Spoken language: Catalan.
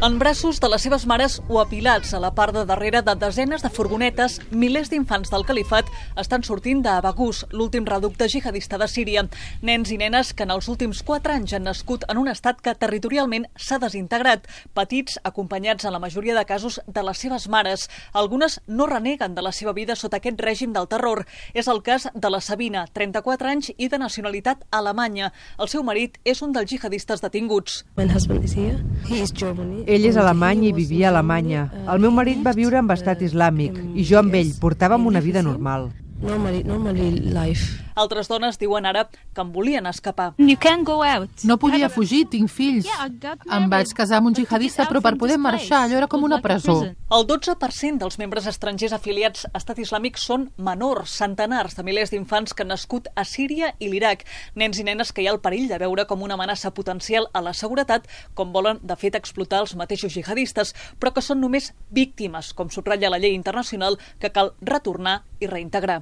En braços de les seves mares o apilats a la part de darrere de desenes de furgonetes, milers d'infants del califat estan sortint d'Abagús, l'últim reducte jihadista de Síria. Nens i nenes que en els últims 4 anys han nascut en un estat que territorialment s'ha desintegrat, petits acompanyats en la majoria de casos de les seves mares. Algunes no reneguen de la seva vida sota aquest règim del terror. És el cas de la Sabina, 34 anys i de nacionalitat alemanya. El seu marit és un dels jihadistes detinguts. Ell és alemany i vivia a Alemanya. El meu marit va viure amb estat islàmic i jo amb ell portàvem una vida normal. Altres dones diuen ara que en volien escapar. No podia fugir, tinc fills. Em vaig casar amb un jihadista, però per poder marxar allò era com una presó. El 12% dels membres estrangers afiliats a Estat Islàmic són menors, centenars de milers d'infants que han nascut a Síria i l'Iraq, nens i nenes que hi ha el perill de veure com una amenaça potencial a la seguretat, com volen de fet explotar els mateixos jihadistes, però que són només víctimes, com subratlla la llei internacional que cal retornar i reintegrar.